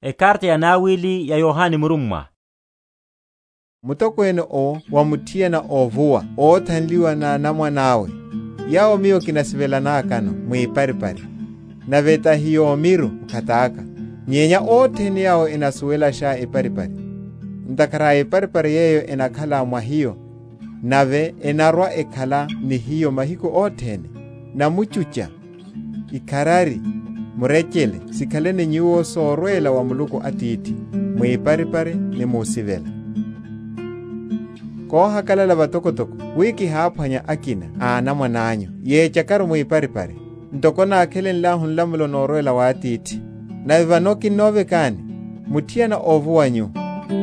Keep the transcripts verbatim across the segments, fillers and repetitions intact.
Ekarta ya naawili ya yohani murummwa. Mutokweene owo wa mutthiyana oovuwa oothanliwa n'anamwan'awe, yaawo miyo kinasivelanaakano mwiiparipari, nave tahi yoomiru mukhat'aka, nyenya othene yaawo enasuwelaxa eparipari. Ntakhara a eparipari yeeyo enakhala mwa hiyo, nave enarwa-ekhala ni hiyo mahiku othene, namucuca, ikharari, murecele sikhaleni nyuwo soorweela wa muluku atiithi, mwiiparipari ni muusivela. Koohakalala vatokotoko wi kihaaphwanya akina a anamwan'anyu yeecakaru mwiiparipari, ntoko naakhelenlahu nlamulo noorweela w'atiithi. Nave vano kinnoovekaani, mutthiyana oovuwa nyu,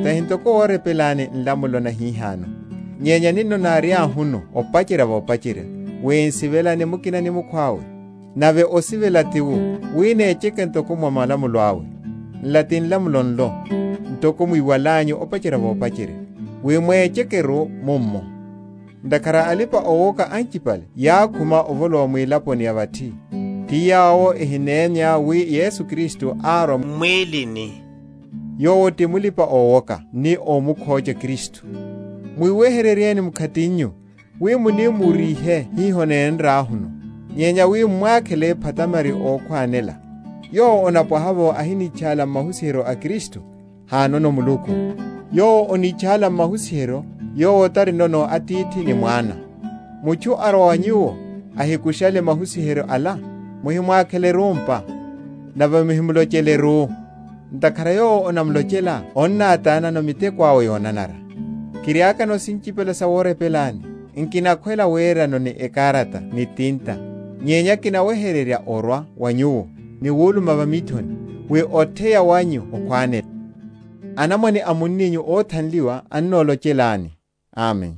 tahi ntoko woorepelaani nlamulo nahiihano. Nyenya ninno naary'ahunu opacerya voopacerya, wi nsivelane mukina ni mukhw'awe. Nave osivela tiwu, wi neeceke ntoko mwa malamulo awe, nla ti nlamulo nlo, ntoko mwiiwal'anyu opacerya voopacerya, wi mweeceke-ru mummo. Ntakhara alipa-oowoka ancipale yaakhuma ovolowa mwiilaponi ya vatthi, ti yaawo ehineemya wi yesu kristu aarwa mmwiilini. Yoowo ti mulipa-oowoka ni oomukhooca kristu. Mwiiwehereryeeni mukhatinyu, wi munimuuriihe hiiho neenraahunu, nyenya wi mmwaakhele ephatamari ookhwaanela. Yoowo onapwaha-vo ahiniichaala mmahusiheryo a kristu, haanono muluku. Yoowo oniichaala mmahusiheryo, yoowo tarinono atiithi ni mwaana. Muchu arwa wa nyuwo, ahikuxale mahusiheryo ala, muhimwaakhele-ru mpa, nave muhimulocele-ru. Ntakhara yoowo onamulocela onnaataanano miteko awe yoonanara. Kiryaakano sincipela sa woorepelaani, nkinakhwela weerano ni ekaarata ni tinta, nyenya kinawehererya orwa wa nyuwo ni wuuluma vamiithoni, wi otheya wanyu okhwaanela. Anamwane a munninyu oothanliwa annoolocelaani. Amen.